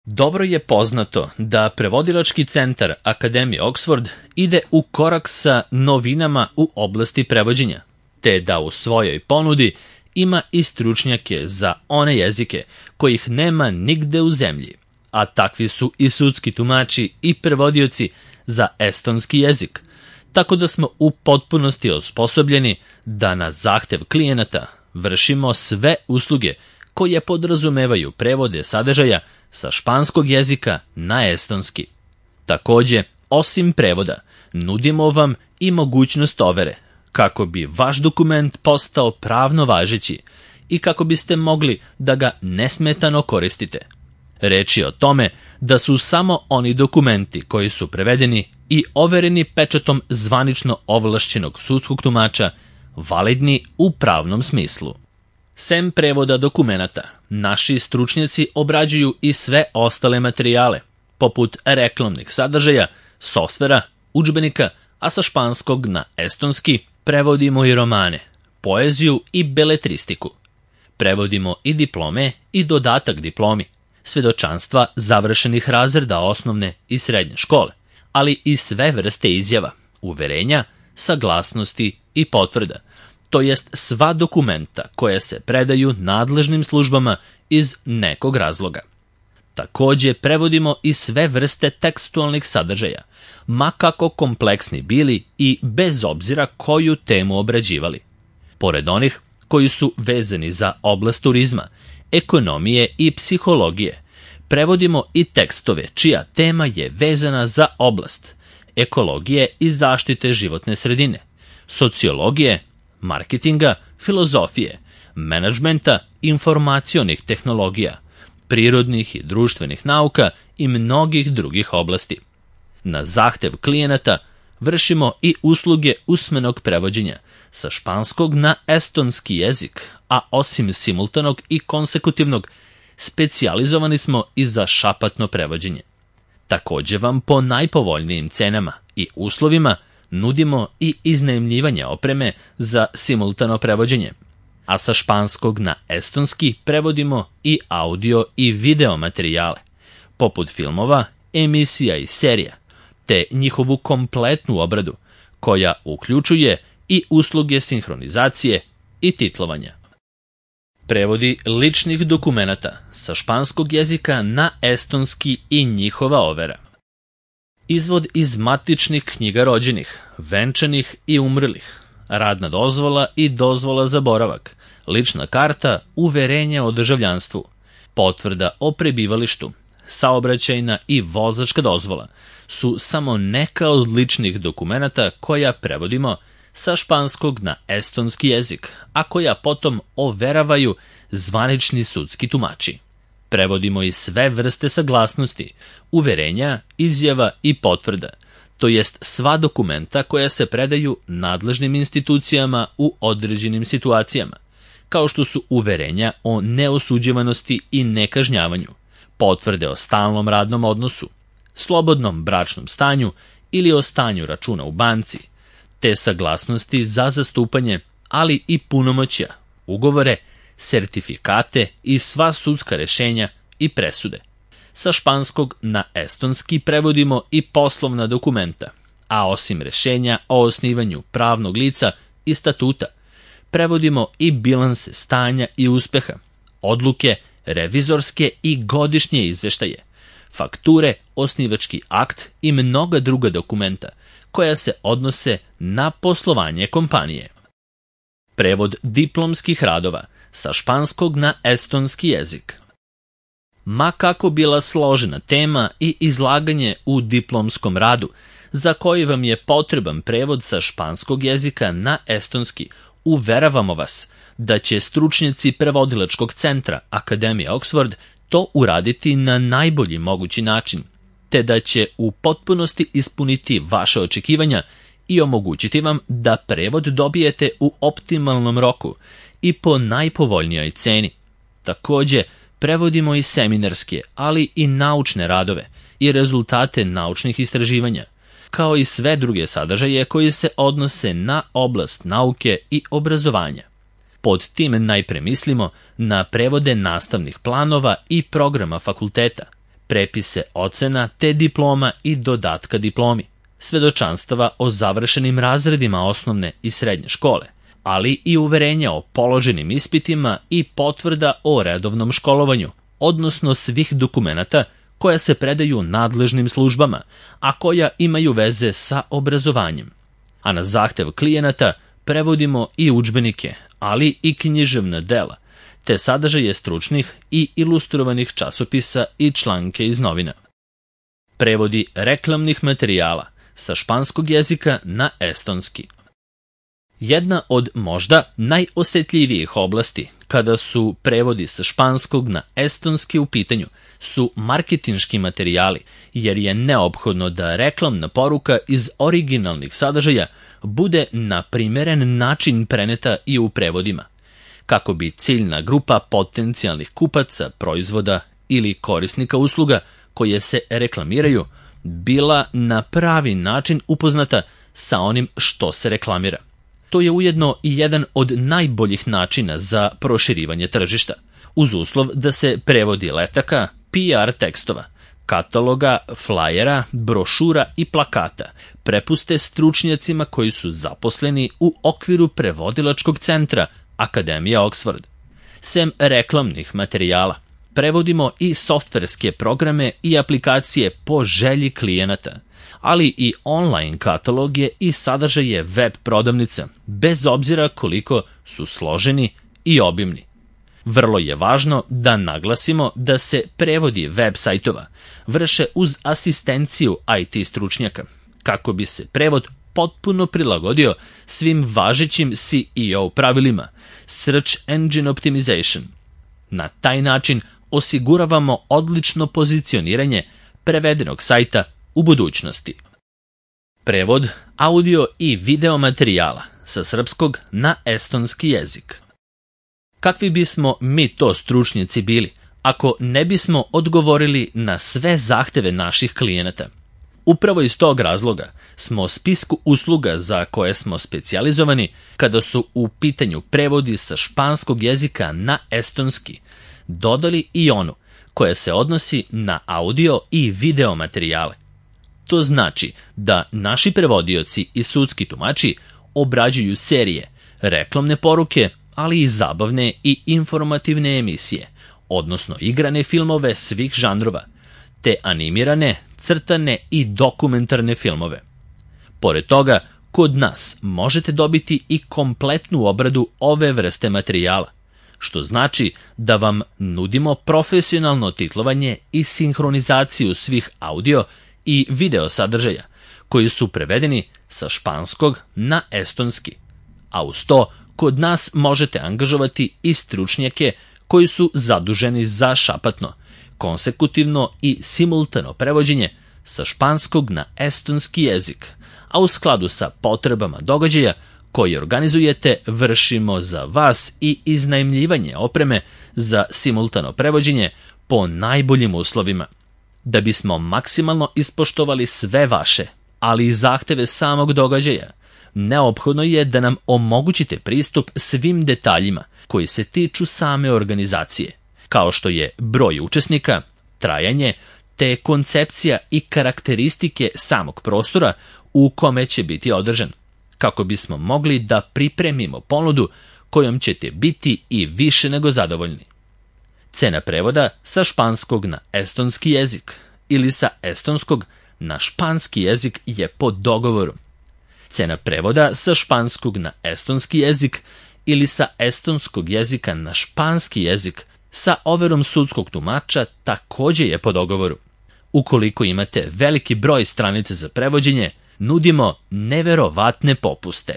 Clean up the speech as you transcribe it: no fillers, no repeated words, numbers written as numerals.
Dobro je poznato da prevodilački centar Akademije Oxford ide u korak sa novinama u oblasti prevođenja, te da u svojoj ponudi ima i stručnjake za one jezike kojih nema nigde u zemlji, a takvi su i sudski tumači i prevodioci za estonski jezik, tako da smo u potpunosti osposobljeni da na zahtev klijenata vršimo sve usluge koje podrazumevaju prevode sadržaja sa španskog jezika na estonski. Takođe, osim prevoda, nudimo vam i mogućnost overe, kako bi vaš dokument postao pravno važeći i kako biste mogli da ga nesmetano koristite. Reč je o tome da su samo oni dokumenti koji su prevedeni i overeni pečatom zvanično ovlašćenog sudskog tumača validni u pravnom smislu. Sem prevoda dokumenata, naši stručnjaci obrađuju i sve ostale materijale, poput reklamnih sadržaja, softvera, udžbenika, a sa španskog na estonski prevodimo i romane, poeziju i beletristiku. Prevodimo i diplome i dodatak diplomi, svedočanstva završenih razreda osnovne i srednje škole, ali i sve vrste izjava, uverenja, saglasnosti i potvrda, to jest sva dokumenta koja se predaju nadležnim službama iz nekog razloga. Takođe prevodimo i sve vrste tekstualnih sadržaja, ma kako kompleksni bili i bez obzira koju temu obrađivali. Pored onih koji su vezani za oblast turizma, ekonomije i psihologije, prevodimo i tekstove čija tema je vezana za oblast ekologije i zaštite životne sredine, sociologije, marketinga, filozofije, menadžmenta, informacionih tehnologija, prirodnih i društvenih nauka i mnogih drugih oblasti. Na zahtev klijenata vršimo i usluge usmenog prevođenja sa španskog na estonski jezik, a osim simultanog i konsekutivnog, specijalizovani smo i za šapatno prevođenje. Takođe vam po najpovoljnijim cenama i uslovima nudimo i iznajmljivanje opreme za simultano prevođenje, a sa španskog na estonski prevodimo i audio i video materijale, poput filmova, emisija i serija, te njihovu kompletnu obradu, koja uključuje i usluge sinhronizacije i titlovanja. Prevodi ličnih dokumenata sa španskog jezika na estonski i njihova overa. Izvod iz matičnih knjiga rođenih, venčanih i umrlih, radna dozvola i dozvola za boravak, lična karta, uverenje o državljanstvu, potvrda o prebivalištu, saobraćajna i vozačka dozvola su samo neka od ličnih dokumenata koja prevodimo sa španskog na estonski jezik, a koja potom overavaju zvanični sudski tumači. Prevodimo i sve vrste saglasnosti, uverenja, izjava i potvrda, to jest sva dokumenta koja se predaju nadležnim institucijama u određenim situacijama, kao što su uverenja o neosuđivanosti i nekažnjavanju, potvrde o stalnom radnom odnosu, slobodnom bračnom stanju ili o stanju računa u banci, te saglasnosti za zastupanje, ali i punomoćja, ugovore, sertifikate i sva sudska rešenja i presude. Sa španskog na estonski prevodimo i poslovna dokumenta, a osim rešenja o osnivanju pravnog lica i statuta, prevodimo i bilanse stanja i uspeha, odluke, revizorske i godišnje izveštaje, fakture, osnivački akt i mnoga druga dokumenta koja se odnose na poslovanje kompanije. Prevod diplomskih radova sa španskog na estonski jezik. Ma kako bila složena tema i izlaganje u diplomskom radu, za koji vam je potreban prevod sa španskog jezika na estonski, uveravamo vas da će stručnjaci prevodilačkog centra Akademije Oxford to uraditi na najbolji mogući način, te da će u potpunosti ispuniti vaše očekivanja i omogućiti vam da prevod dobijete u optimalnom roku i po najpovoljnijoj ceni. Takođe, prevodimo i seminarske, ali i naučne radove i rezultate naučnih istraživanja, kao i sve druge sadržaje koji se odnose na oblast nauke i obrazovanja. Pod tim najpre mislimo na prevode nastavnih planova i programa fakulteta, prepise ocena te diploma i dodatka diplomi, svedočanstava o završenim razredima osnovne i srednje škole, ali i uverenja o položenim ispitima i potvrda o redovnom školovanju, odnosno svih dokumenata koja se predaju nadležnim službama, a koja imaju veze sa obrazovanjem. A na zahtev klijenata prevodimo i udžbenike, ali i književna dela, te sadržaje stručnih i ilustrovanih časopisa i članke iz novina. Prevodi reklamnih materijala sa španskog jezika na estonski. Jedna od možda najosetljivijih oblasti kada su prevodi sa španskog na estonski u pitanju su marketinški materijali, jer je neophodno da reklamna poruka iz originalnih sadržaja bude na primeren način preneta i u prevodima, kako bi ciljna grupa potencijalnih kupaca proizvoda ili korisnika usluga koje se reklamiraju bila na pravi način upoznata sa onim što se reklamira. To je ujedno i jedan od najboljih načina za proširivanje tržišta, uz uslov da se prevodi letaka, PR tekstova, kataloga, flajera, brošura i plakata prepuste stručnjacima koji su zaposleni u okviru prevodilačkog centra Akademija Oxford. Sem reklamnih materijala, prevodimo i softverske programe i aplikacije po želji klijenata, ali i online kataloge i sadržaje web prodavnica, bez obzira koliko su složeni i obimni. Vrlo je važno da naglasimo da se prevodi web sajtova vrše uz asistenciju IT stručnjaka, kako bi se prevod potpuno prilagodio svim važećim SEO pravilima, Search Engine Optimization. Na taj način osiguravamo odlično pozicioniranje prevedenog sajta u budućnosti. Prevod audio i video materijala sa srpskog na estonski jezik. Kakvi bismo mi to stručnjaci bili ako ne bismo odgovorili na sve zahteve naših klijenata? Upravo iz tog razloga smo spisku usluga za koje smo specijalizovani kada su u pitanju prevodi sa španskog jezika na estonski dodali i onu koja se odnosi na audio i video materijale. To znači da naši prevodioci i sudski tumači obrađuju serije, reklamne poruke, ali i zabavne i informativne emisije, odnosno igrane filmove svih žanrova, te animirane, crtane i dokumentarne filmove. Pored toga, kod nas možete dobiti i kompletnu obradu ove vrste materijala, što znači da vam nudimo profesionalno titlovanje i sinhronizaciju svih audio i video sadržaja, koji su prevedeni sa španskog na estonski, a uz to kod nas možete angažovati i stručnjake koji su zaduženi za šapatno, konsekutivno i simultano prevođenje sa španskog na estonski jezik, a u skladu sa potrebama događaja koji organizujete vršimo za vas i iznajmljivanje opreme za simultano prevođenje po najboljim uslovima. Da bismo maksimalno ispoštovali sve vaše, ali i zahteve samog događaja, neophodno je da nam omogućite pristup svim detaljima koji se tiču same organizacije, kao što je broj učesnika, trajanje, te koncepcija i karakteristike samog prostora u kome će biti održan, kako bismo mogli da pripremimo ponudu kojom ćete biti i više nego zadovoljni. Cena prevoda sa španskog na estonski jezik ili sa estonskog na španski jezik je po dogovoru. Cena prevoda sa španskog na estonski jezik ili sa estonskog jezika na španski jezik sa overom sudskog tumača takođe je po dogovoru. Ukoliko imate veliki broj stranica za prevođenje, nudimo neverovatne popuste.